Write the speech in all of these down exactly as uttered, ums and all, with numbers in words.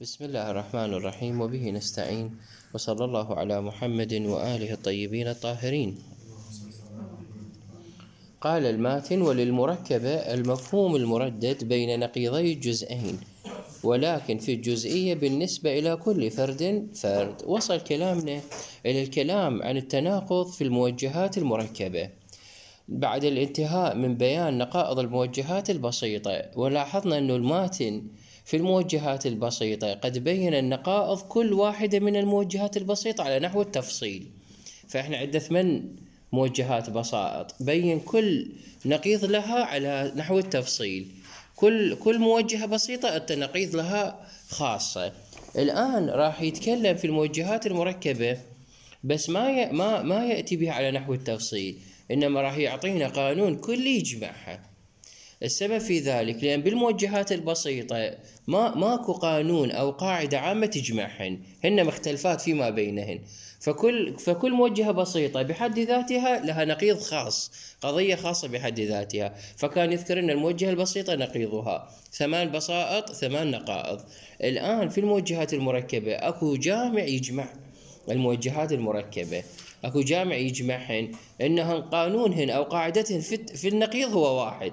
بسم الله الرحمن الرحيم وبه نستعين وصلى الله على محمد وآله الطيبين الطاهرين. قال الماتن: وللمركبة المفهوم المردد بين نقيضي الجزئين، ولكن في الجزئية بالنسبة إلى كل فرد فرد. وصل كلامنا إلى الكلام عن التناقض في الموجهات المركبة بعد الانتهاء من بيان نقائض الموجهات البسيطة، ولاحظنا أن الماتن في الموجهات البسيطة قد بين النقائض كل واحدة من الموجهات البسيطة على نحو التفصيل. فإحنا عندنا ثمان موجهات بسائط، بين كل نقيض لها على نحو التفصيل. كل كل موجهة بسيطة التنقيض لها خاصة. الآن راح يتكلم في الموجهات المركبة، بس ما ي... ما ما يأتي بها على نحو التفصيل، إنما راح يعطينا قانون كلي يجمعها. السبب في ذلك لأن بالموجهات البسيطة ما ماكو قانون أو قاعدة عامة تجمعهن، هن مختلفات فيما بينهن. فكل فكل موجهة بسيطة بحد ذاتها لها نقيض خاص، قضية خاصة بحد ذاتها. فكان يذكر أن الموجهة البسيطة نقيضها ثمان بسائط ثمان نقائض. الآن في الموجهات المركبة أكو جامع يجمع الموجهات المركبة، أكو جامع يجمعهن، إنهن قانونهن أو قاعدتهن في النقيض هو واحد،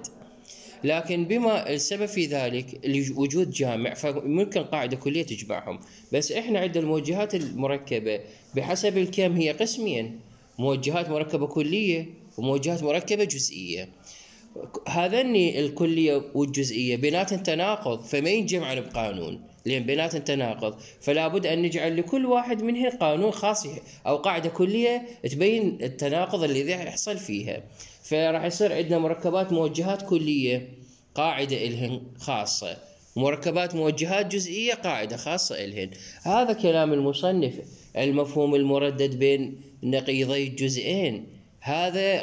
لكن بما السبب في ذلك وجود جامع فممكن قاعدة كلية تجمعهم. بس إحنا عندنا الموجهات المركبة بحسب الكم هي قسمين: موجهات مركبة كلية وموجهات مركبة جزئية. هذين الكلية والجزئية بيناتهم تناقض، فما ينجمعن بقانون لأن بيناتهم تناقض، فلا بد أن نجعل لكل واحد منهم قانون خاص أو قاعدة كلية تبين التناقض الذي يحصل فيها. فراح يصير عندنا مركبات موجهات كلية قاعدة إلهن خاصة، مركبات موجهات جزئية قاعدة خاصة إلهن. هذا كلام المصنف: المفهوم المردد بين نقيضي الجزئين. هذا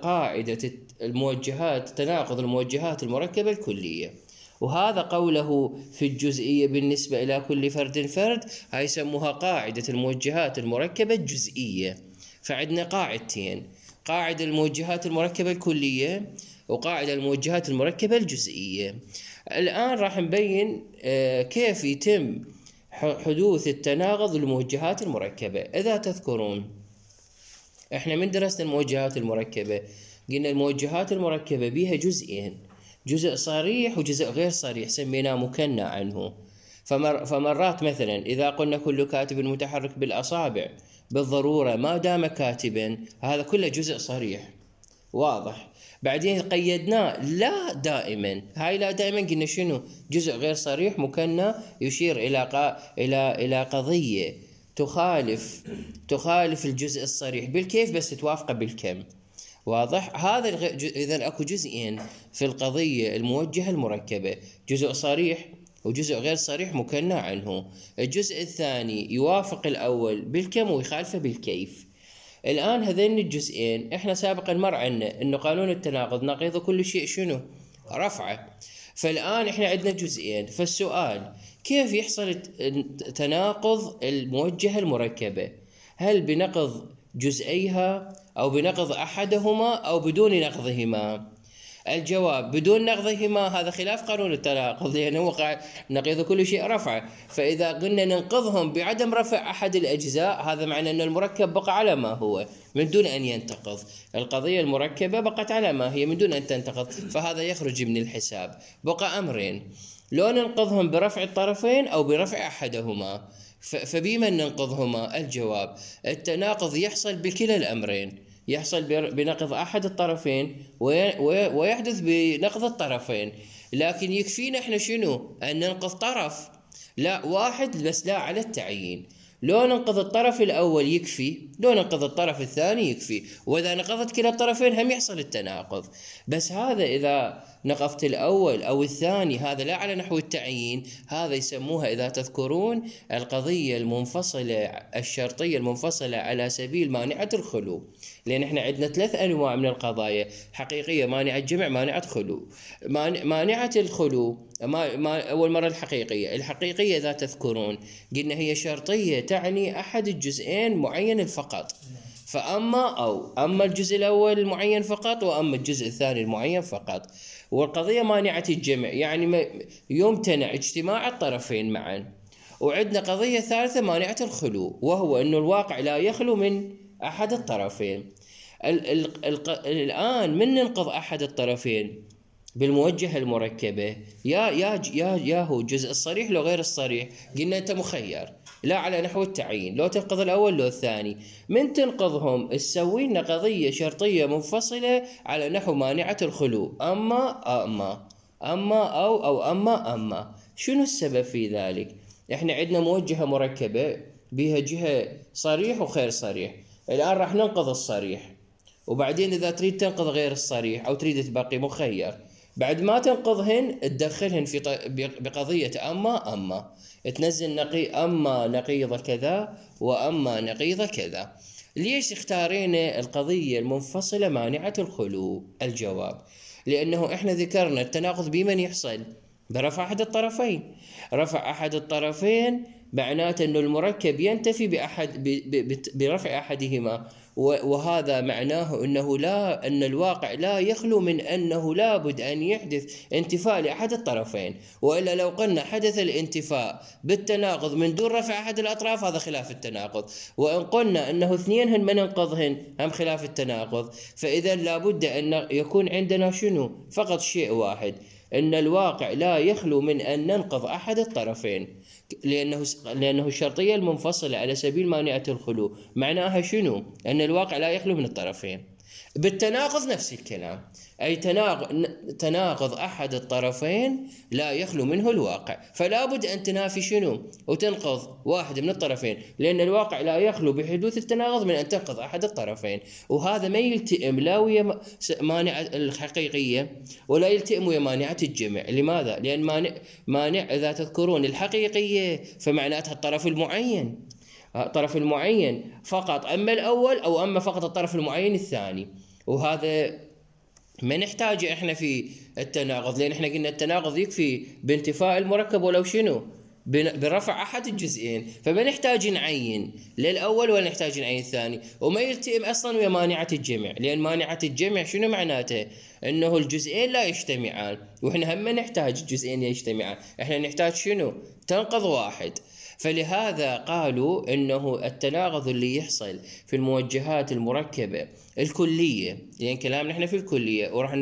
قاعدة الموجهات، تناقض الموجهات المركبة الكلية. وهذا قوله في الجزئية بالنسبة إلى كل فرد فرد، هاي يسموها قاعدة الموجهات المركبة الجزئية. فعندنا قاعدتين: قاعدة الموجهات المركبة الكلية وقاعدة الموجهات المركبة الجزئية. الآن راح نبين كيف يتم حدوث التناقض للموجهات المركبة. إذا تذكرون إحنا من درسنا الموجهات المركبة قلنا الموجهات المركبة بها جزئين: جزء صريح وجزء غير صريح سميناه مكنى عنه. فمر فمرات مثلا إذا قلنا كل كاتب متحرك بالأصابع بالضرورة ما دام كاتبا، هذا كله جزء صريح واضح. بعدين قيدناه لا دائما، هاي لا دائما قلنا شنو؟ جزء غير صريح مكنى يشير إلى قا... إلى إلى قضية تخالف تخالف الجزء الصريح بالكيف بس توافقه بالكم. واضح؟ هذا الغ... إذا أكو جزئين في القضية الموجهة المركبة: جزء صريح وجزء غير صريح مكنى عنه. الجزء الثاني يوافق الأول بالكم ويخالفه بالكيف. الآن هذين الجزئين إحنا سابقا مر عنا إنه قانون التناقض نقيض كل شيء شنو؟ رفعه. فالآن إحنا عندنا جزئين، فالسؤال: كيف يحصل تناقض الموجهة المركبة؟ هل بنقض جزئيها أو بنقض أحدهما أو بدون نقضهما؟ الجواب: بدون نقضهما. هذا خلاف قانون التناقض لأنه وقع نقيض كل شيء رفع. فإذا قلنا ننقضهم بعدم رفع أحد الأجزاء، هذا معنى أن المركب بقى على ما هو من دون أن ينتقض. القضية المركبة بقت على ما هي من دون أن تنتقض، فهذا يخرج من الحساب. بقى أمرين: لو ننقضهم برفع الطرفين أو برفع أحدهما. فبما ننقضهما؟ الجواب: التناقض يحصل بكلا الأمرين، يحصل بنقض أحد الطرفين ويحدث بنقض الطرفين. لكن يكفينا إحنا شنو؟ أن ننقض طرف لا واحد بس لا على التعيين. لو ننقض الطرف الأول يكفي، لو ننقض الطرف الثاني يكفي، وإذا نقضت كلا الطرفين هم يحصل التناقض. بس هذا إذا نقضت الأول أو الثاني هذا لا على نحو التعيين، هذا يسموها إذا تذكرون القضية المنفصلة الشرطية المنفصلة على سبيل مانعة الخلو. لأن إحنا عندنا ثلاث أنواع من القضايا: حقيقية، مانعة جمع، مانعة خلو. مانعة الخلو ما ما أول مرة الحقيقية. الحقيقية إذا تذكرون قلنا هي شرطية تعني أحد الجزئين معين فقط، فأما أو أما الجزء الأول المعين فقط وأما الجزء الثاني المعين فقط. والقضية مانعة الجمع يعني يمتنع اجتماع الطرفين معا. وعندنا قضية ثالثة مانعة الخلو، وهو أنه الواقع لا يخلو من أحد الطرفين. ال ال ال الآن من ننقض أحد الطرفين بالموجهة المركبة؟ يا يا يا يا هو الجزء الصريح لو غير الصريح؟ قلنا أنت مخير، لا على نحو التعيين، لو تنقض الأول لو الثاني. من تنقضهم تسوي لنا قضية شرطية منفصلة على نحو مانعة الخلو، أما أما أما أو أو أما أما. شنو السبب في ذلك؟ إحنا عندنا موجهة مركبة بها جهة صريح وغير صريح. الآن راح ننقض الصريح، وبعدين إذا تريد تنقض غير الصريح أو تريد تبقي مخير، بعد ما تنقضهن تدخلهن في بقضية أما أما، تنزل نقي أما نقيض كذا وأما نقيض كذا. ليش اختارينا القضية المنفصلة مانعة الخلو؟ الجواب لأنه إحنا ذكرنا التناقض بمن يحصل؟ برفع أحد الطرفين. رفع أحد الطرفين معناته أنه المركب ينتفي بأحد برفع أحدهما، وهذا معناه أنه لا أن الواقع لا يخلو من أنه لابد أن يحدث انتفاء لأحد الطرفين، وإلا لو قلنا حدث الانتفاء بالتناقض من دون رفع أحد الأطراف هذا خلاف التناقض، وإن قلنا أنه اثنينهن من ننقضهن هم خلاف التناقض. فإذا لابد أن يكون عندنا شنو؟ فقط شيء واحد، أن الواقع لا يخلو من أن ننقض أحد الطرفين، لأنه لأنه الشرطية المنفصلة على سبيل مانعة الخلو معناها شنو؟ أن الواقع لا يخلو من الطرفين. بالتناقض نفس الكلام، أي تناقض, تناقض أحد الطرفين لا يخلو منه الواقع، فلا بد أن تنافي شنو؟ وتنقض واحد من الطرفين، لأن الواقع لا يخلو بحدوث التناقض من أن تنقض أحد الطرفين. وهذا ما يلتئم لا ويا مانعة الحقيقية ولا يلتئم ويا مانعة الجمع. لماذا؟ لأن مانع, مانع إذا تذكرون الحقيقية فمعناتها الطرف المعين، الطرف المعين فقط، أما الأول أو أما فقط الطرف المعين الثاني. وهذا ما نحتاجه إحنا في التناقض، لأن إحنا قلنا التناقض يكفي بانتفاء المركب ولو شنو؟ برفع أحد الجزئين، فما نحتاج نعين للأول ولا نحتاج نعين الثاني، وما يلتئم أصلا ويا مانعة الجمع، لأن مانعة الجمع شنو معناته؟ أنه الجزئين لا يجتمعان، وإحنا هم نحتاج الجزئين يجتمعان، إحنا نحتاج شنو؟ تنقض واحد. فلهذا قالوا أنه التناقض اللي يحصل في الموجهات المركبة الكلية، لأن يعني كلامنا احنا في الكلية وراح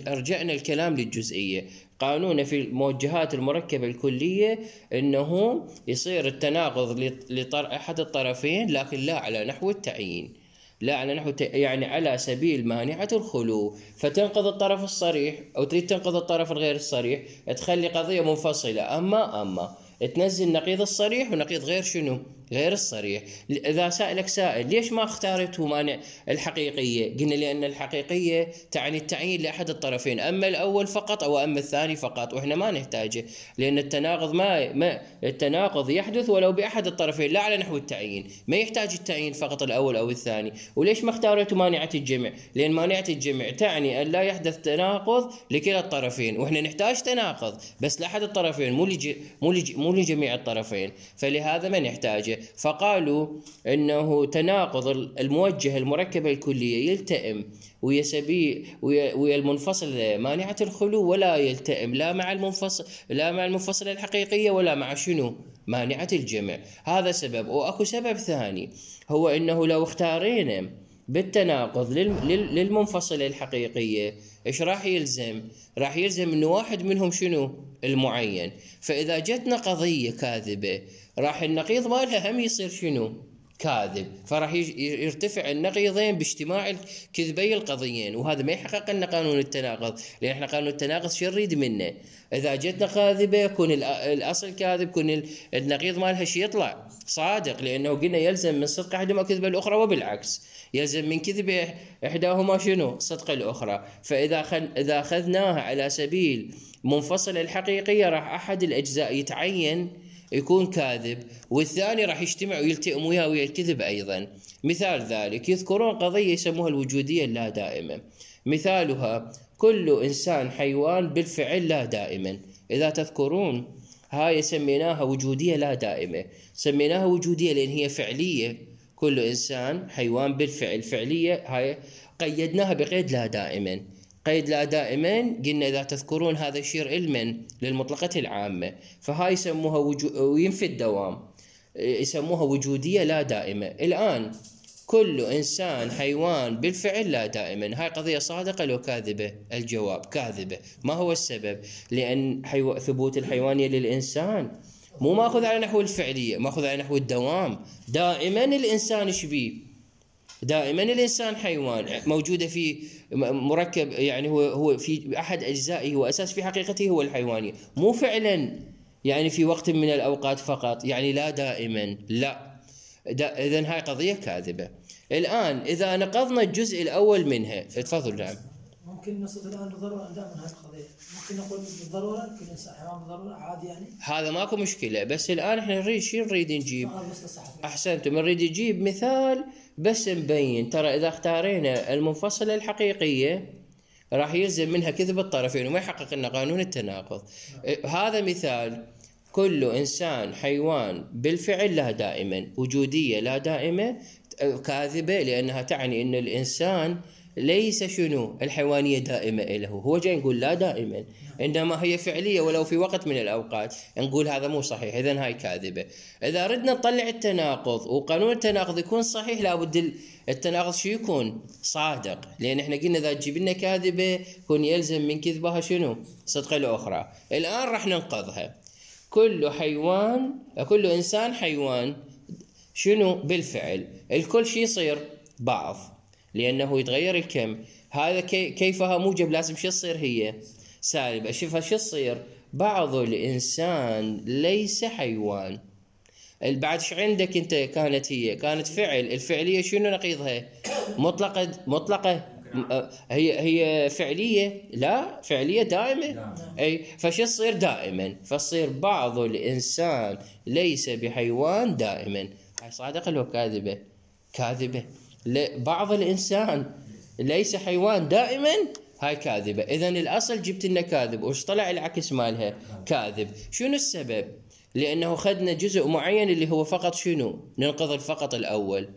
رجعنا الكلام للجزئية. قانون في الموجهات المركبة الكلية أنه يصير التناقض لأحد الطرفين لكن لا على نحو التعيين، لا على نحو يعني على سبيل مانعة الخلو، فتنقض الطرف الصريح أو تريد تنقض الطرف الغير الصريح تخلي قضية منفصلة أما أما تنزل نقيض الصريح ونقيض غير شنو؟ غير الصريح. إذا سألك سائل ليش ما اختارته مانع الحقيقية؟ قلنا لأن الحقيقية تعني التعيين لأحد الطرفين، أما الأول فقط أو أما الثاني فقط، وإحنا ما نحتاجه، لأن التناقض ما ما التناقض يحدث ولو بأحد الطرفين لا على نحو التعيين، ما يحتاج التعيين فقط الأول أو الثاني. وليش ما اختارته مانعة الجمع؟ لأن مانعة الجمع تعني أن لا يحدث تناقض لكلا الطرفين، وإحنا نحتاج تناقض بس لأحد الطرفين مو لج مو لج مو لجميع الطرفين، فلهذا ما نحتاجه. فقالوا انه تناقض الموجه المركبه الكليه يلتئم ويا سبيل ويا المنفصل مانعه الخلو، ولا يلتئم لا مع المنفصل لا مع المنفصله الحقيقيه ولا مع شنو؟ مانعه الجمع. هذا سبب. واكو سبب ثاني، هو انه لو اختارينا بالتناقض للمنفصله الحقيقيه ايش راح يلزم؟ راح يلزم انه واحد منهم شنو؟ المعين. فاذا جتنا قضيه كاذبه راح النقيض مالها هم يصير شنو؟ كاذب، فراح يرتفع النقيضين باجتماع الكذبي القضيين، وهذا ما يحقق لنا قانون التناقض، لان احنا قانون التناقض شو نريد منه؟ اذا جتنا كاذبه يكون الاصل كاذب، يكون النقيض مالها شي يطلع صادق، لانه قلنا يلزم من صدق احدهما كذب الاخرى، وبالعكس يلزم من كذب احداهما شنو؟ صدق الاخرى. فاذا خل... اذا اخذناها على سبيل منفصل الحقيقيه راح احد الاجزاء يتعين يكون كاذب، والثاني راح يجتمع ويلتئم وياه ويا الكذب أيضا. مثال ذلك يذكرون قضية يسموها الوجودية اللا دائمة، مثالها كل إنسان حيوان بالفعل لا دائما. إذا تذكرون هاي سميناها وجودية لا دائمة، سميناها وجودية لأن هي فعلية، كل إنسان حيوان بالفعل فعلية، هاي قيدناها بقيد لا دائما. قيد لا دائما قلنا إذا تذكرون هذا يشير علما للمطلقة العامة، فهاي يسموها وجو... وينفي الدوام، يسموها وجودية لا دائمة. الآن كل إنسان حيوان بالفعل لا دائما، هاي قضية صادقة لو كاذبة؟ الجواب كاذبة. ما هو السبب؟ لأن حيو... ثبوت الحيوانية للإنسان مو ماخذ على نحو الفعلية، ماخذ على نحو الدوام. دائما الإنسان شبيه؟ دائما الإنسان حيوان موجودة في مركب، يعني هو هو في أحد أجزائه وأساس في حقيقته هو الحيوانية، مو فعلا يعني في وقت من الأوقات فقط، يعني لا دائما، لا. إذن هاي قضية كاذبة. الآن إذا نقضنا الجزء الأول منها، تفضل. نعم. ممكن نصل الآن بالضرورة دائما هاي القضية، ممكن نقول بالضرورة كل إنسان حيوان بالضرورة عادي يعني. هذا ماكو مشكلة، بس الآن إحنا نريد شو نريد نجيب؟ أحسنتم، نريد نجيب مثال بس نبين. ترى إذا اختارينا المنفصلة الحقيقية راح يلزم منها كذب الطرفين وما يحقق لنا قانون التناقض. هذا مثال: كل إنسان حيوان بالفعل لا دائما، وجودية لا دائمة، كاذبة لأنها تعني أن الإنسان ليس شنو الحيوانية دائمة له، هو جاي نقول لا دائما، إنما هي فعلية ولو في وقت من الأوقات، نقول هذا مو صحيح، إذن هاي كاذبة. إذا ردنا نطلع التناقض وقانون التناقض يكون صحيح، لابد التناقض شو يكون؟ صادق، لأن إحنا قلنا إذا تجيب لنا كاذبة يكون يلزم من كذبها شنو؟ صدق الأخرى. الآن راح ننقضها. كل حيوان، كل إنسان حيوان شنو بالفعل، الكل شي يصير بعض لأنه يتغير الكم. هذا كي كيفها موجب لازم شو تصير؟ هي سالب. أشوفها شو تصير؟ بعض الإنسان ليس حيوان. بعد شو عندك أنت؟ كانت هي كانت فعل، الفعلية شنو نقيضها؟ مطلقة. مطلقة هي هي فعلية؟ لا، فعلية دائمة. أي فشو تصير؟ دائما. فتصير بعض الإنسان ليس بحيوان دائما. هاي صادقة لو كاذبة؟ كاذبة. بعض الإنسان ليس حيوان دائما، هاي كاذبة. إذن الأصل جبت لنا كاذب، وش طلع العكس مالها؟ كاذب. شنو السبب؟ لأنه خدنا جزء معين اللي هو فقط شنو؟ ننقض فقط الأول.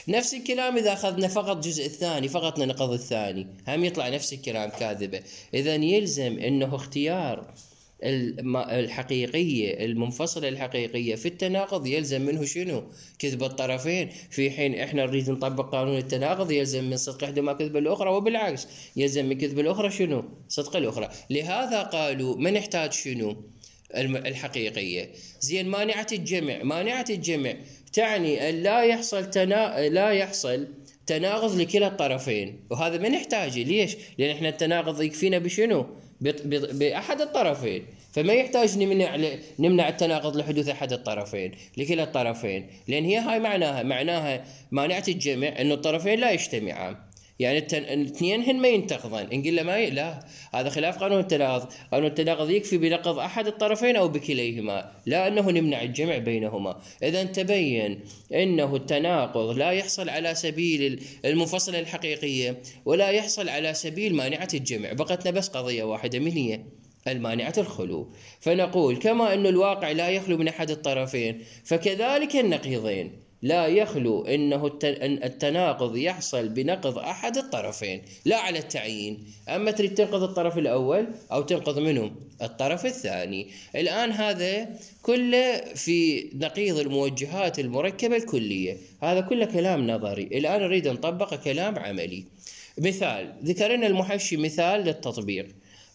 نفس الكلام إذا أخذنا فقط جزء الثاني فقط ننقض الثاني، هم يطلع نفس الكلام كاذبة. إذن يلزم أنه اختيار الحقيقية المنفصلة الحقيقية في التناقض يلزم منه شنو؟ كذب الطرفين، في حين إحنا نريد نطبق قانون التناقض يلزم من صدق إحدى كذب الأخرى، وبالعكس يلزم من كذب الأخرى شنو؟ صدق الأخرى. لهذا قالوا ما نحتاج شنو؟ الحقيقية. زين، مانعة الجمع. مانعة الجمع تعني أن لا يحصل تنا... لا يحصل تناقض لكلا الطرفين، وهذا ما نحتاجه. ليش؟ لأن إحنا التناقض يكفينا بشنو؟ بأحد الطرفين، فما يحتاج نمنع نمنع التناقض لحدوث أحد الطرفين لكلا الطرفين، لأن هي هاي معناها معناها مانعة الجمع أن الطرفين لا يجتمعان، يعني الاثنين هن ما ينتقضان. إن قلنا ما ي... لا، هذا خلاف قانون التناقض. قانون التناقض يكفي بنقض أحد الطرفين أو بكليهما، لا أنه نمنع الجمع بينهما. إذا تبين أنه التناقض لا يحصل على سبيل المنفصلة الحقيقية ولا يحصل على سبيل مانعة الجمع، بقتنا بس قضية واحدة من هي المانعة الخلو. فنقول كما أن الواقع لا يخلو من أحد الطرفين، فكذلك النقيضين لا يخلو أنه التناقض يحصل بنقض أحد الطرفين، لا على التعيين. أما تريد تنقض الطرف الأول أو تنقض منه الطرف الثاني. الآن هذا كله في نقيض الموجهات المركبة الكلية، هذا كله كلام نظري. الآن نريد نطبق كلام عملي. مثال ذكرنا المحشي مثال للتطبيق.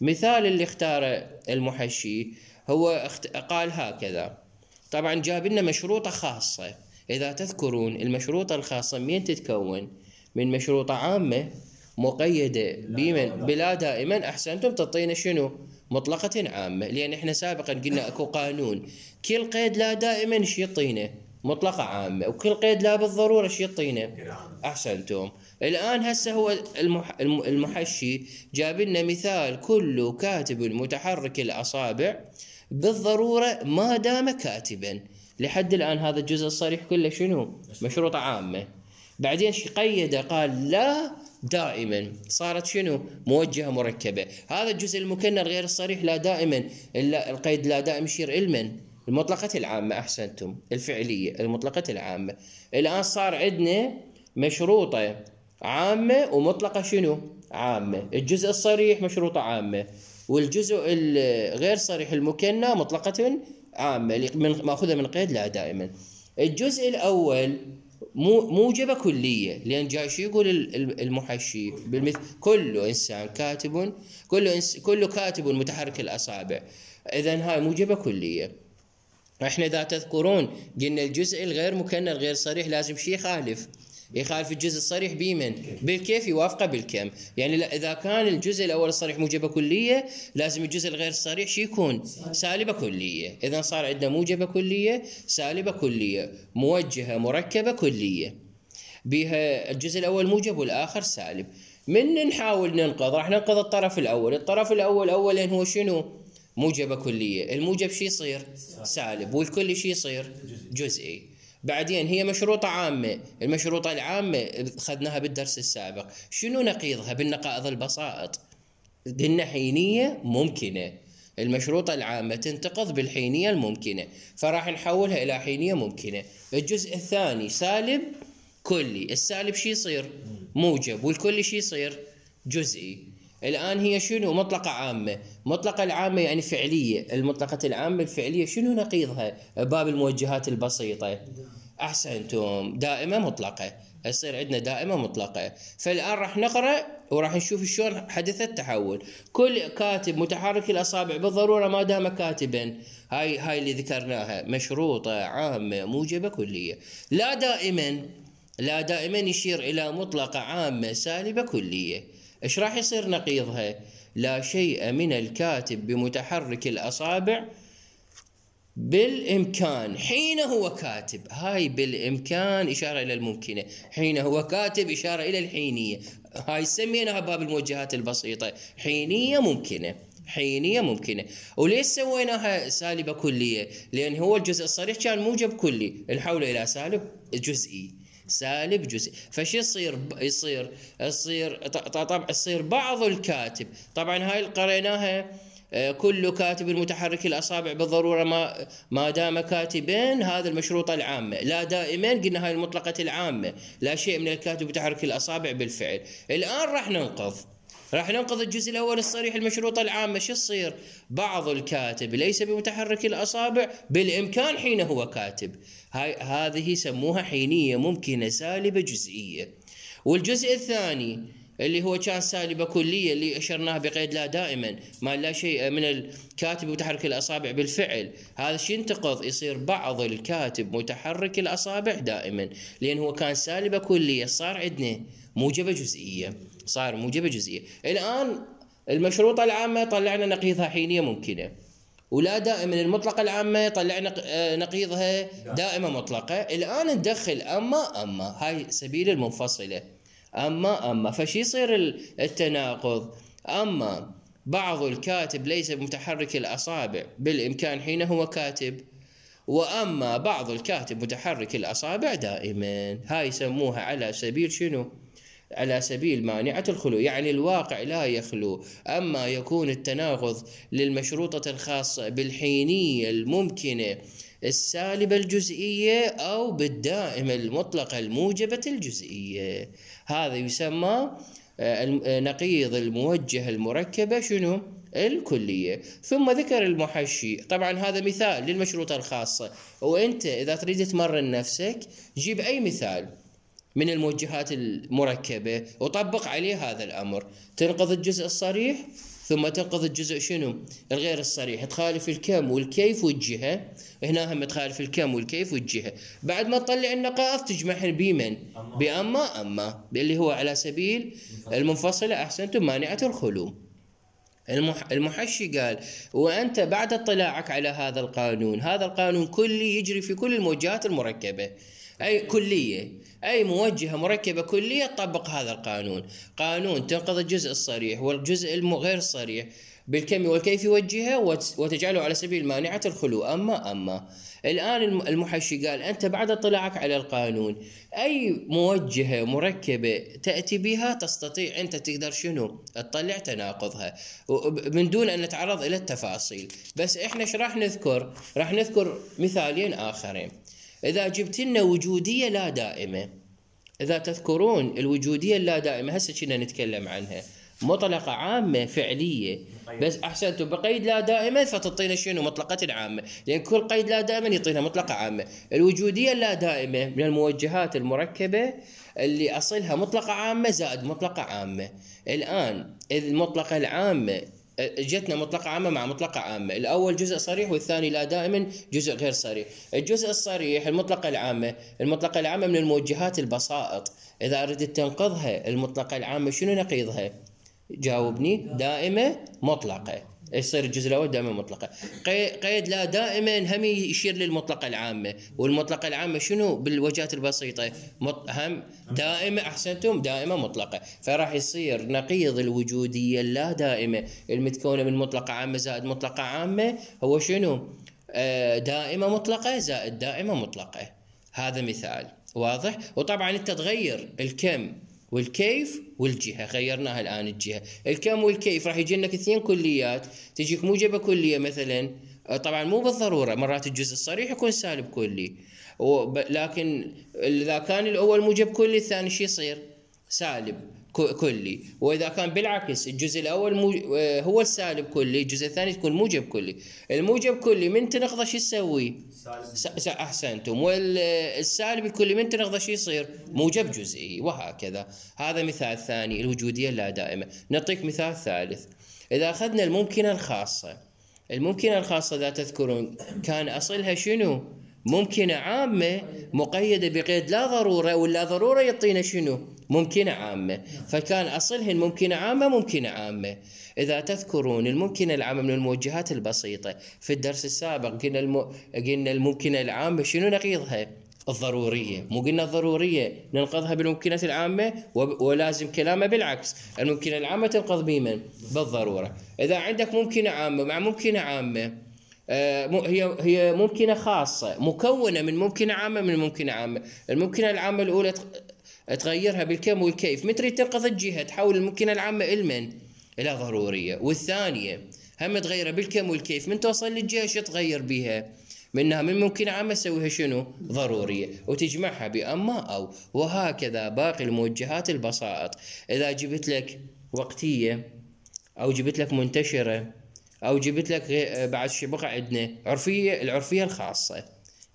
مثال اللي اختاره المحشي هو قال هكذا. طبعا جاب لنا مشروطة خاصة. إذا تذكرون المشروطة الخاصة من تتكون؟ من مشروطة عامة مقيدة بمن؟ بلا دائما. أحسنتم، تعطينا شنو؟ مطلقة عامة، لأن إحنا سابقا قلنا أكو قانون كل قيد لا دائما ايش يعطينا؟ مطلقة عامة، وكل قيد لا بالضرورة ايش يعطينا؟ أحسنتم. الآن هسه هو المحشي جاب لنا مثال: كل كاتب متحرك الأصابع بالضرورة ما دام كاتبا. لحد الآن هذا الجزء الصريح كله شنو؟ مشروطة عامة. بعدين قيد قال لا دائما، صارت شنو؟ موجهة مركبة. هذا الجزء المكنر غير الصريح لا دائما، إلا القيد لا دائم يشير علما المطلقة العامة. أحسنتم، الفعلية المطلقة العامة. الآن صار عندنا مشروطة عامة ومطلقة شنو؟ عامة، الجزء الصريح مشروطة عامة، والجزء الغير صريح المكنى مطلقة عامة من ماخذها من قيد لا دائما. الجزء الأول موجبة كلية، لأن جاي شو يقول المحشي بالمثل كل إنسان كاتب، كل إنس كل كاتب متحرك الأصابع، إذن هاي موجبة كلية. احنا إذا تذكرون قلنا الجزء الغير مكنى الغير صريح لازم شيء يخالف يخالف الجزء الصريح بمن؟ بالكيف يوافقه بالكم. يعني لا، إذا كان الجزء الأول الصريح موجبة كلية لازم الجزء الغير صريح شو يكون؟ سالبة كلية. إذن صار عندنا موجبة كلية، سالبة كلية، موجهة مركبة كلية، بها الجزء الأول موجب والآخر سالب. من نحاول ننقض راح ننقض الطرف الأول. الطرف الأول أولا هو شنو؟ موجبة كلية. الموجب شي يصير؟ سالب، والكل شي يصير؟ جزئي. بعدين هي مشروطة عامة. المشروطة العامة أخذناها بالدرس السابق. شنو نقيضها بالنقائض البسائط؟ قلنا حينية ممكنة. المشروطة العامة تنتقض بالحينية الممكنة، فراح نحولها إلى حينية ممكنة. الجزء الثاني سالب كلي. السالب شي يصير؟ موجب، والكل شي يصير؟ جزئي. الآن هي شنو؟ مطلقة عامة. مطلقة العامة يعني فعلية. المطلقة العامة الفعلية شنو نقيضها باب الموجهات البسيطة؟ أحسنتم، دائمة مطلقة. يصير عندنا دائمة مطلقة. فالآن راح نقرأ وراح نشوف شلون حدث التحول. كل كاتب متحرك الأصابع بالضرورة ما دام كاتبا. هاي هاي اللي ذكرناها مشروطة عامة موجبة كلية. لا دائما، لا دائما يشير إلى مطلقة عامة سالبة كلية. إيش راح يصير نقيضها؟ لا شيء من الكاتب بمتحرك الأصابع بالإمكان حين هو كاتب. هاي بالإمكان إشارة إلى الممكنة، حين هو كاتب إشارة إلى الحينية. هاي سميناها باب الموجهات البسيطة حينية ممكنة. حينية ممكنة. وليش سويناها سالبة كلية؟ لأن هو الجزء الصريح كان موجب كلي، نحوله إلى سالب جزئي. سالب جزء. فش يصير؟ يصير يصير طبعا يصير بعض الكاتب. طبعا هاي قريناها كل كاتب متحرك الأصابع بالضرورة ما ما دام كاتبين. هذا المشروطة العامة. لا دائما قلنا هاي المطلقة العامة. لا شيء من الكاتب متحرك الأصابع بالفعل. الآن راح ننقض راح ننقض الجزء الأول الصريح المشروطة العامة. شو يصير؟ بعض الكاتب ليس بمتحرك الأصابع بالإمكان حين هو كاتب. هاي هذه يسموها حينية ممكنة سالبة جزئية. والجزء الثاني اللي هو كان سالبة كلية اللي أشرناه بقيد لا دائما، ما لا شيء من الكاتب متحرك الأصابع بالفعل. هذا شي ينتقض، يصير بعض الكاتب متحرك الأصابع دائما، لأن هو كان سالبة كلية صار عندنا موجبة جزئية. صار موجبة جزئية. الآن المشروطة العامة طلعنا نقيضها حينية ممكنة، ولا دائما المطلقة العامة طلعنا نقيضها دائمة مطلقة. الآن ندخل أما أما هاي سبيل المنفصلة. أما أما فشي يصير التناقض؟ أما بعض الكاتب ليس متحرك الأصابع بالإمكان حين هو كاتب، وأما بعض الكاتب متحرك الأصابع دائما. هاي يسموها على سبيل شنو؟ على سبيل مانعة الخلو. يعني الواقع لا يخلو، أما يكون التناقض للمشروطة الخاصة بالحينية الممكنة السالبة الجزئية أو بالدائمة المطلقة الموجبة الجزئية. هذا يسمى نقيض الموجهة المركبة شنو؟ الكلية. ثم ذكر المحشي. طبعا هذا مثال للمشروطة الخاصة، وأنت إذا تريد تمرن نفسك جيب أي مثال من الموجهات المركبة وطبق عليه هذا الأمر. تنقض الجزء الصريح ثم تنقض الجزء شنو؟ الغير الصريح. تخالف الكم والكيف والجهة. هنا هم تخالف الكم والكيف والجهة. بعد ما تطلع النقائض تجمعهن بمن؟ بأما أما اللي هو على سبيل المنفصلة. أحسنتم، مانعة الخلو. المح... المحشي قال وأنت بعد اطلاعك على هذا القانون، هذا القانون كلي يجري في كل الموجهات المركبة، أي كلية، أي موجهة مركبة كلية تطبق هذا القانون. قانون تنقض الجزء الصريح والجزء الغير الصريح بالكم والكيف والجهة وتجعله على سبيل مانعة الخلو. أما أما الآن المحشي قال أنت بعد اطلاعك على القانون أي موجهة مركبة تأتي بها تستطيع أنت تقدر شنو؟ تطلع تناقضها من دون أن نتعرض إلى التفاصيل. بس إحنا إيش راح نذكر؟ راح نذكر مثالين آخرين. إذا جبت لنا وجودية لا دائمة، إذا تذكرون الوجودية اللا دائمة هسه كنا نتكلم عنها. مطلقة عامة فعلية، بس أحسنتم بقيد لا دائما فتعطينا شنو؟ مطلقة عامة، لأن كل قيد لا دائما يعطينا مطلقة عامة. الوجودية اللا دائمة من الموجهات المركبة اللي أصلها مطلقة عامة زائد مطلقة عامة. الآن المطلقة العامة جتنا مطلقة عامة مع مطلقة عامة، الأول جزء صريح والثاني لا دائما جزء غير صريح. الجزء الصريح المطلقة العامة، المطلقة العامة من الموجهات البسائط، إذا أردت تنقضها المطلقة العامة شنو نقيضها؟ جاوبني. دائمة مطلقة، يصير الجزء الأول دائما مطلقة. قيد لا دائما هم يشير للمطلقة العامة، والمطلقة العامة شنو بالوجهات البسيطة؟ هم دائمة. أحسنتم، دائمة مطلقة. فراح يصير نقيض الوجودية اللا دائمة المتكونة من مطلقة عامة زائد مطلقة عامة هو شنو؟ آه دائمة مطلقة زائد دائمة مطلقة. هذا مثال واضح. وطبعا انت تغير الكم والكيف والجهة، غيرناها الآن الجهة. الكم والكيف راح يجي لك اثنين كليات، تجيك موجبة كلية مثلا، طبعا مو بالضرورة، مرات الجزء الصريح يكون سالب كلي، لكن إذا كان الأول موجب كلي الثاني شي يصير؟ سالب كلي. وإذا كان بالعكس الجزء الأول هو السالب كلي، الجزء الثاني يكون موجب كلي. الموجب كلي من تنقضه شو يسوي؟ أحسنتم. والسالب الكلي من تنقضه شو يصير؟ موجب جزئي، وهكذا. هذا مثال ثاني، الوجودية اللا دائمة. نعطيك مثال ثالث. إذا أخذنا الممكنة الخاصة، الممكنة الخاصة إذا تذكرون كان أصلها شنو؟ ممكنة عامة مقيدة بقيد لا ضرورة، واللا ضرورة يعطينا شنو؟ ممكنة عامة. فكان أصلهن ممكنة عامة ممكنة عامة. إذا تذكرون الممكنة العامة من الموجهات البسيطة، في الدرس السابق قلنا الم... قلنا الممكنة العامة شنو نقيضها؟ الضرورية. مو قلنا الضرورية ننقضها بالممكنة العامة، ولازم كلامه بالعكس، الممكنة العامة تنقض بمن؟ بالضرورة. إذا عندك ممكنة عامة مع ممكنة عامة، هي هي ممكنة خاصة مكونة من ممكنة عامة من ممكنة عامة. الممكنة العامة الأولى تغيرها بالكم والكيف، متى تنقض الجهة تحول الممكنة العامة إلى إلى ضرورية. والثانية هم تغيرها بالكم والكيف، من توصل للجهة شو تغير بها؟ منها من ممكنة عامة تسويها شنو؟ ضرورية، وتجمعها بأما أو. وهكذا باقي الموجهات البسائط. إذا جبت لك وقتية أو جبت لك منتشرة أو جبت لك بعد شي بقى عندنا عرفية، العرفية الخاصة،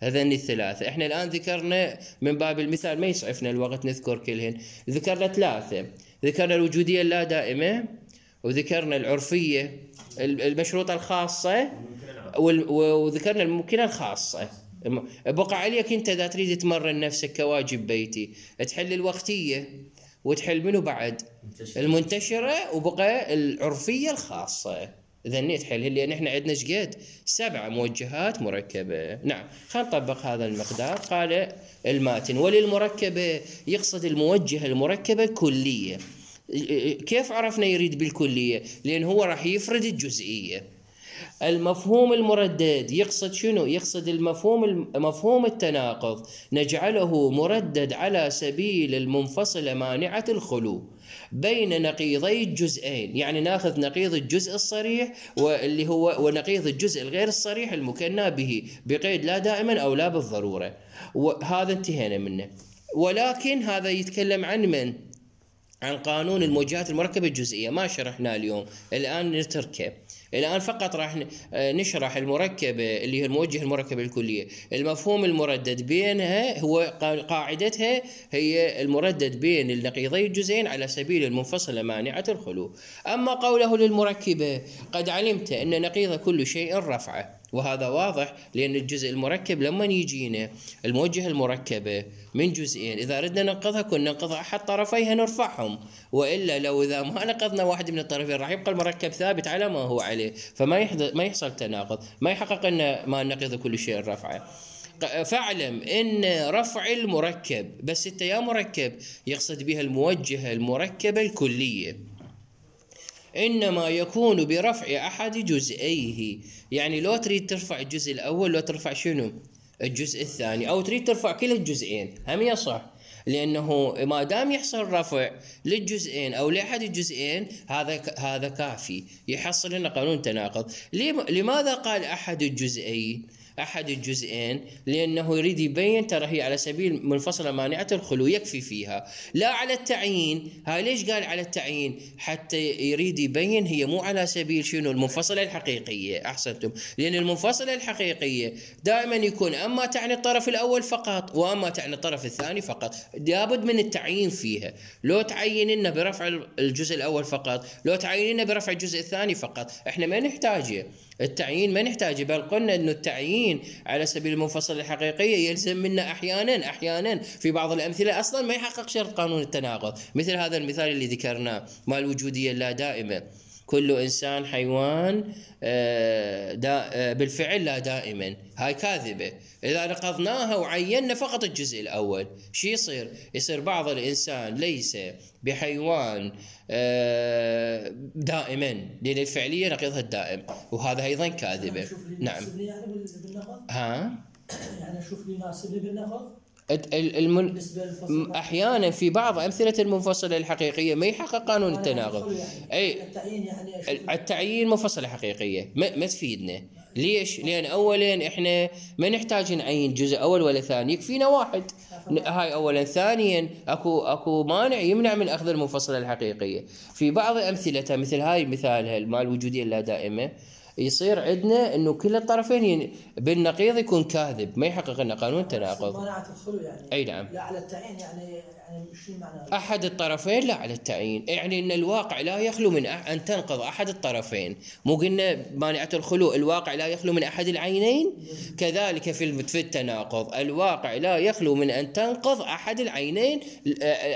هذين الثلاثة. احنا الآن ذكرنا من باب المثال، ما يسعفنا الوقت نذكر كلهن. ذكرنا ثلاثة، ذكرنا الوجودية اللا دائمة، وذكرنا العرفية المشروطة الخاصة، وذكرنا الممكنة الخاصة. بقى عليك انت اذا تريد تمرن نفسك كواجب بيتي تحل الوقتية وتحل منه بعد المنتشرة، وبقى العرفية الخاصة. إذا تحل، لأن إحنا عندنا شقد سبع موجهات مركبة. نعم، خلينا نطبق هذا المقدار. قال الماتن: وللمركبة يقصد الموجهة المركبة الكلية. كيف عرفنا يريد بالكلية؟ لأن هو راح يفرد الجزئية. المفهوم المردد يقصد شنو؟ يقصد المفهوم مفهوم التناقض، نجعله مردد على سبيل المنفصلة مانعة الخلو بين نقيضي الجزئين. يعني ناخذ نقيض الجزء الصريح واللي هو ونقيض الجزء الغير الصريح المكنى به بقيد لا دائما أو لا بالضرورة، وهذا انتهينا منه. ولكن هذا يتكلم عن من؟ عن قانون الموجهات المركبة الجزئية، ما شرحنا اليوم، الآن نتركه. الآن فقط راح نشرح المركبة اللي هي الموجهة المركبة الكلية. المفهوم المردد بينها هو قاعدتها هي المردد بين النقيضي الجزئين على سبيل المنفصلة مانعة الخلو. أما قوله للمركبة: قد علمت أن نقيض كل شيء رفعه، وهذا واضح، لأن الجزء المركب لما يجينا الموجهة المركبة من جزئين، إذا أردنا ننقضها كنا ننقض أحد طرفيها نرفعهم، وإلا لو إذا ما نقضنا واحد من الطرفين راح يبقى المركب ثابت على ما هو عليه، فما يحدث ما يحصل تناقض، ما يحقق أن ما نقض كل شيء رفعه. فاعلم ان رفع المركب، بس انت يا مركب يقصد بها الموجهة المركبة الكلية، إنما يكون برفع أحد جزئيه. يعني لو تريد ترفع الجزء الأول لو ترفع شنو؟ الجزء الثاني، أو تريد ترفع كل الجزئين هم يصح، لأنه ما دام يحصل رفع للجزئين أو لأحد الجزئين هذا هذا كافي يحصل لنا قانون تناقض. لماذا قال أحد الجزئين؟ أحد الجزئين لأنه يريد يبين ترى هي على سبيل منفصلة مانعة الخلو يكفي فيها، لا على التعيين. هاي ليش قال على التعيين؟ حتى يريد يبين هي مو على سبيل شنو المنفصلة الحقيقية. أحسنتم، لأن المنفصلة الحقيقية دائما يكون أما تعني الطرف الأول فقط وأما تعني الطرف الثاني فقط، لابد من التعيين فيها. لو تعين لنا برفع الجزء الأول فقط، لو تعين لنا برفع الجزء الثاني فقط، احنا ما نحتاجه التعيين، ما نحتاجه. بل قلنا انه التعيين على سبيل المنفصلة الحقيقية يلزم منا احيانا احيانا في بعض الامثلة اصلا ما يحقق شرط قانون التناقض، مثل هذا المثال اللي ذكرناه مال الوجودية اللا دائمة. كل انسان حيوان دا بالفعل لا دائما، هاي كاذبة. إذا نقضناها وعينا فقط الجزء الأول شو يصير؟ يصير بعض الإنسان ليس بحيوان دائما، لأن الفعلية نقيضها الدائم، وهذا أيضا كاذبة. نعم. يعني ها؟ يعني أشوف لي ناسب لي بالنقض. المن... احيانا في بعض امثله المنفصله الحقيقيه ما يحقق قانون التناقض. يعني اي التعيين يعني التعيين منفصله حقيقيه ما, ما تفيدنا. ليش؟ لان اولا احنا ما نحتاج نعين جزء اول ولا ثاني، يكفينا واحد. هاي اولا. ثانيا اكو اكو مانع يمنع من اخذ المنفصله الحقيقيه. في بعض امثلتها مثل هاي مثال مال الوجوديه اللا دائمه، يصير عندنا انه كل الطرفين بالنقيض يكون كاذب، ما يحقق لنا قانون التناقض. مانعة الخلو يعني. اي نعم. لا على التعيين يعني يعني شو معنى؟ احد الطرفين لا على التعيين، يعني ان الواقع لا يخلو من ان تنقض احد الطرفين. مو قلنا مانعة الخلو الواقع لا يخلو من احد العينين؟ كذلك في في التناقض الواقع لا يخلو من ان تنقض احد العينين،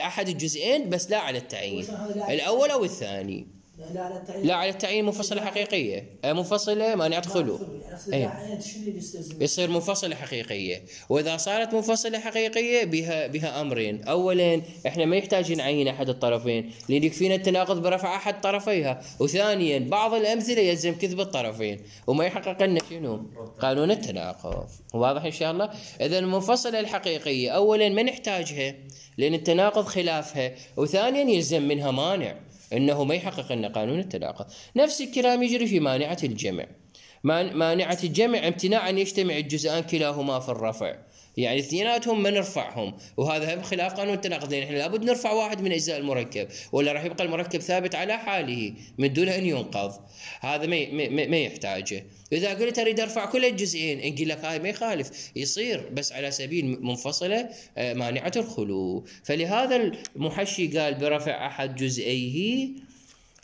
احد الجزئين، بس لا على التعيين الاول او الثاني. لا على التعيين. لا على التعيين منفصلة حقيقية، منفصلة مانعة خلو. يعني يصير منفصلة حقيقية. وإذا صارت منفصلة حقيقية بها بها أمرين. أولا إحنا ما يحتاج نعين أحد الطرفين لأن يكفينا التناقض برفع أحد طرفيها. وثانيا بعض الأمثلة يلزم كذب الطرفين وما يحقق لنا شنو؟ قانون التناقض. واضح إن شاء الله؟ إذا المنفصلة الحقيقية أولا ما نحتاجها لأن التناقض خلافها، وثانيا يلزم منها مانع انه ما يحقق لنا قانون التناقض. نفس الكلام يجري في مانعة الجمع. مانعة الجمع امتناع ان يجتمع الجزءان كلاهما في الرفع، يعني اثنيناتهم ما نرفعهم، وهذا بخلاف قانون التناقض، لان احنا لابد نرفع واحد من اجزاء المركب ولا راح يبقى المركب ثابت على حاله من دون ان ينقض. هذا ما ما, ما يحتاجه. اذا قلت اريد ارفع كل الجزئين نقول لك هاي ما يخالف، يصير بس على سبيل منفصله مانعه الخلو. فلهذا المحشي قال برفع احد جزئيه.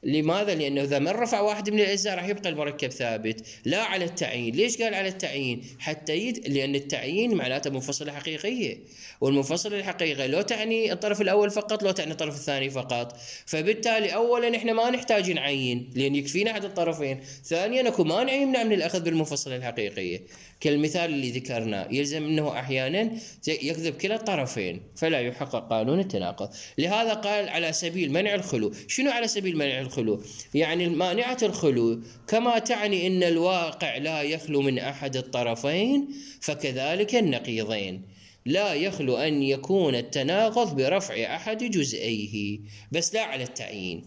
لماذا؟ لأنه إذا ما رفع واحد من الأجزاء راح يبقى المركب ثابت. لا على التعيين. ليش قال على التعيين؟ حتى يد... لأن التعيين معناته منفصلة حقيقية، والمنفصلة الحقيقية لو تعني الطرف الأول فقط لو تعني الطرف الثاني فقط. فبالتالي أولا إحنا ما نحتاج نعين لأن يكفينا أحد الطرفين. ثانيا أكو مانع يمنع من الأخذ بالمنفصلة الحقيقية كالمثال اللي ذكرناه، يلزم أنه أحيانا يكذب كلا الطرفين فلا يحقق قانون التناقض. لهذا قال على سبيل منع الخلو. شنو على سبيل منع الخلو؟ يعني مانعة الخلو كما تعني أن الواقع لا يخلو من أحد الطرفين فكذلك النقيضين لا يخلو أن يكون التناقض برفع أحد جزئيه، بس لا على التعيين.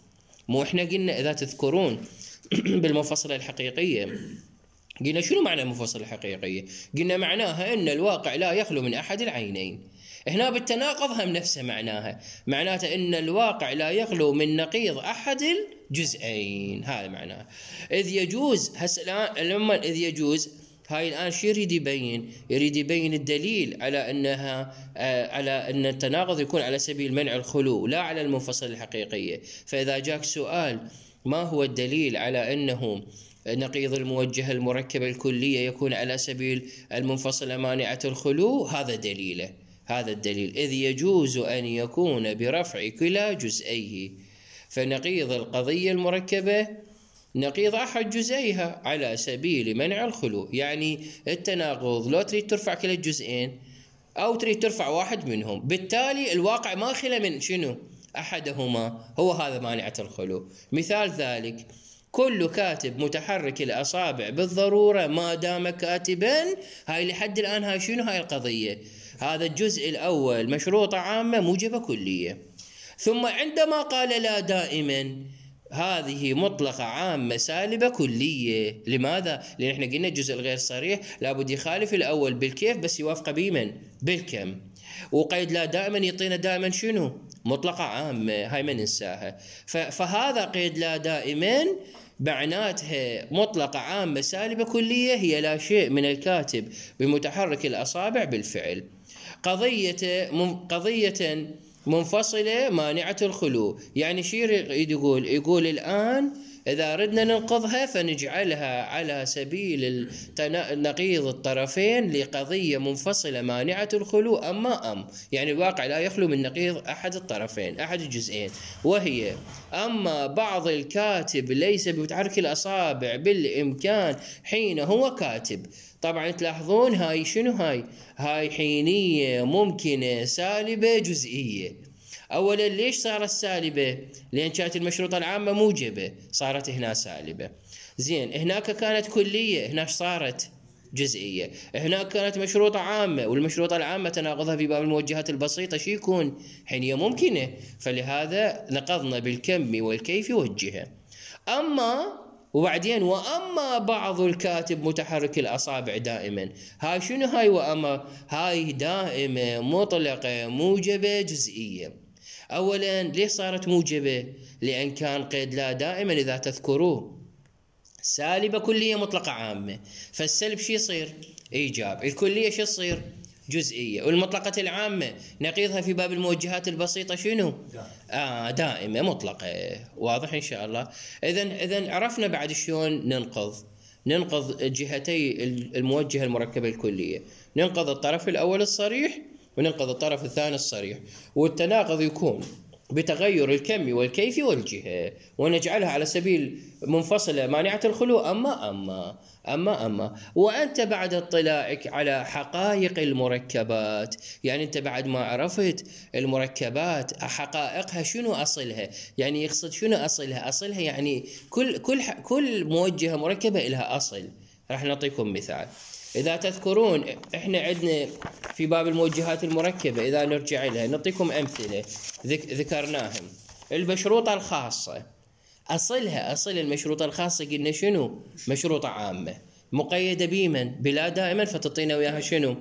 مو إحنا قلنا إذا تذكرون بالمنفصلة الحقيقية قلنا شنو معنى المنفصلة الحقيقية؟ قلنا معناها أن الواقع لا يخلو من أحد العينين. هنا بالتناقض هم نفسه معناها، معناته أن الواقع لا يخلو من نقيض أحد الجزئين. هذا معناه. إذ يجوز هسه الآن لما إذ يجوز هاي الآن شو يريد يبين؟ يريد يبين الدليل على أنها آه على أن التناقض يكون على سبيل منع الخلو لا على المنفصلة الحقيقية. فإذا جاك سؤال ما هو الدليل على أنه نقيض الموجهة المركبة الكلية يكون على سبيل المنفصلة مانعة الخلو، هذا دليله. هذا الدليل. إذ يجوز أن يكون برفع كلا جزئيه، فنقيض القضية المركبة نقيض أحد جزئيها على سبيل منع الخلو. يعني التناقض لو تريد ترفع كلا الجزئين أو تريد ترفع واحد منهم، بالتالي الواقع ما خلا من شنو؟ أحدهما، هو هذا مانعة الخلو. مثال ذلك كل كاتب متحرك الأصابع بالضرورة ما دام كاتبا. هاي لحد الآن هاي شنو؟ هاي القضية. هذا الجزء الأول مشروطة عامة موجبة كلية. ثم عندما قال لا دائما، هذه مطلقة عامة سالبة كلية. لماذا؟ لأن احنا قلنا الجزء الغير صريح لابد يخالف الأول بالكيف بس يوافقه بمن؟ بالكم. وقيد لا دائما يعطينا دائما شنو؟ مطلقة عامة، هاي ما ننساها. فهذا قيد لا دائما معناتها مطلقة عامة سالبة كلية هي لا شيء من الكاتب بمتحرك الأصابع بالفعل. قضية قضية منفصلة مانعة الخلو، يعني شو يقول؟ يقول الآن إذا ردنا ننقضها فنجعلها على سبيل نقيض الطرفين لقضية منفصلة مانعة الخلو أما أم، يعني الواقع لا يخلو من نقيض أحد الطرفين أحد الجزئين، وهي أما بعض الكاتب ليس بمتحرك الأصابع بالإمكان حين هو كاتب. طبعا تلاحظون هاي شنو هاي؟ هاي حينية ممكنة سالبة جزئية. أولا ليش صارت سالبة؟ لأن كانت المشروطة العامة موجبة صارت هنا سالبة. زين هناك كانت كلية هناك صارت جزئية. هناك كانت مشروطة عامة والمشروطة العامة تناقضها في باب الموجهات البسيطة شي يكون؟ حينية ممكنة، فلهذا نقضنا بالكم والكيف والجهة. أما وبعدين وأما بعض الكاتب متحرك الأصابع دائما، هاي شنو هاي وأما؟ هاي دائمة مطلقة موجبة جزئية. أولا ليش صارت موجبة؟ لأن كان قيد لا دائما إذا تذكروه سالبة كلية مطلقة عامة، فالسلب شي يصير؟ إيجاب. الكلية شي يصير؟ جزئية. والمطلقة العامة نقيضها في باب الموجهات البسيطة شنو؟ آه دائمة مطلقة. واضح إن شاء الله. إذن إذن عرفنا بعد شلون ننقض ننقض جهتي الموجهة المركبة الكلية. ننقض الطرف الأول الصريح وننقض الطرف الثاني الصريح، والتناقض يكون بتغير الكم والكيف والجهة، ونجعلها على سبيل منفصلة مانعة الخلو أما أما أما أما وأنت بعد اطلاعك على حقائق المركبات، يعني أنت بعد ما عرفت المركبات حقائقها شنو أصلها، يعني يقصد شنو أصلها؟ أصلها يعني كل كل كل موجهة مركبة لها أصل. راح نعطيكم مثال. إذا تذكرون إحنا عندنا في باب الموجهات المركبة إذا نرجع لها نعطيكم أمثلة ذكرناهم. المشروطة الخاصة أصلها أصل المشروطة الخاصة قلنا شنو؟ مشروطة عامة مقيدة بمن؟ بلا دائما، فتعطينا وياها شنو؟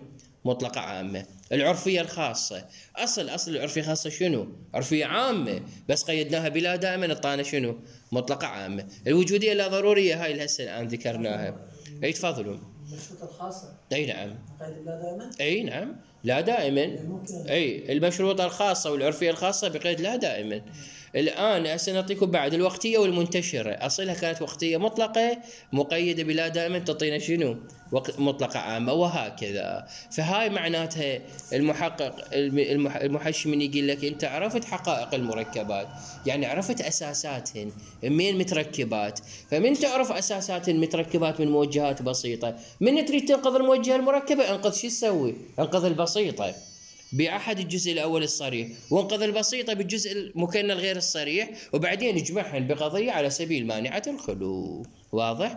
مطلقة عامة. العرفية الخاصة أصل أصل العرفية الخاصة شنو؟ عرفية عامة بس قيدناها بلا دائما اعطانا شنو؟ مطلقة عامة. الوجودية لا ضرورية هاي هسه الآن ذكرناها. أي تفضلوا. المشروطة الخاصة أي نعم. قيد لا دائما؟ أي نعم لا دائما. أي المشروطة الخاصة والعرفية الخاصة بقيد لا دائما. الآن هسه نعطيكم بعد الوقتية والمنتشرة. أصلها كانت وقتية مطلقة مقيدة بلا دائما تعطينا شنو؟ مطلقة عامة وهكذا. فهاي معناتها المحقق المحشي من يقول لك أنت عرفت حقائق المركبات، يعني عرفت أساساتهن من متركبات. فمن تعرف أساسات المتركبات من موجهات بسيطة، من تريد تنقذ الموجهة المركبة انقذ شو تسوي؟ انقذ البسيطة بأحد الجزء الأول الصريح، وانقذ البسيطة بالجزء المكنن الغير الصريح، وبعدين اجمعهن بقضية على سبيل مانعة الخلو. واضح؟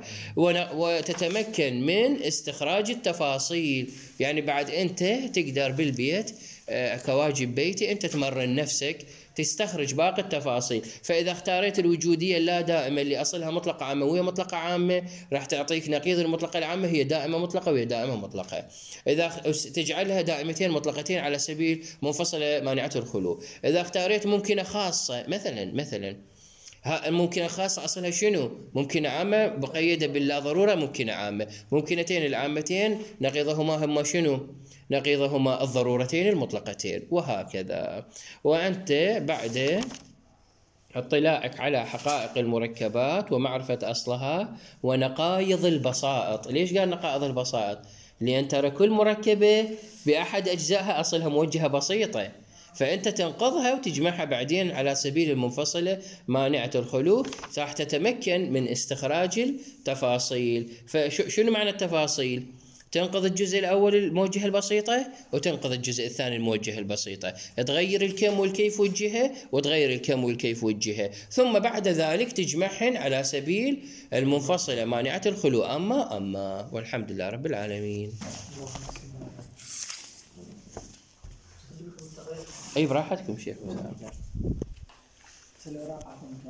وتتمكن من استخراج التفاصيل. يعني بعد أنت تقدر بالبيت كواجب بيتي أنت تمرن نفسك تستخرج باقي التفاصيل. فإذا اختاريت الوجودية اللا دائمة اللي أصلها مطلقة عامة وهي مطلقة عامة راح تعطيك نقيض المطلقة العامة هي دائمة مطلقة وهي دائمة مطلقة. إذا تجعلها دائمتين مطلقتين على سبيل منفصلة مانعة الخلو. إذا اختاريت ممكنة خاصة مثلا مثلا ممكنة خاصة أصلها شنو؟ ممكنة عامة بقيدة باللا ضرورة ممكنة عامة. ممكنتين العامتين نقيضهما هما شنو؟ نقيضهما الضرورتين المطلقتين وهكذا. وأنت بعد اطلاعك على حقائق المركبات ومعرفة أصلها ونقائض البسائط. ليش قال نقائض البسائط؟ لأن ترى كل مركبة بأحد أجزائها أصلها موجهة بسيطة، فأنت تنقضها وتجمعها بعدين على سبيل المنفصلة مانعة الخلو، راح تتمكن من استخراج التفاصيل. فشنو معنى التفاصيل؟ تنقض الجزء الأول الموجهة البسيطة وتنقض الجزء الثاني الموجهة البسيطة، تغير الكم والكيف والجهة وتغير الكم والكيف والجهة، ثم بعد ذلك تجمعهن على سبيل المنفصلة مانعة الخلو أما أما والحمد لله رب العالمين. أي براحتكم شيخ.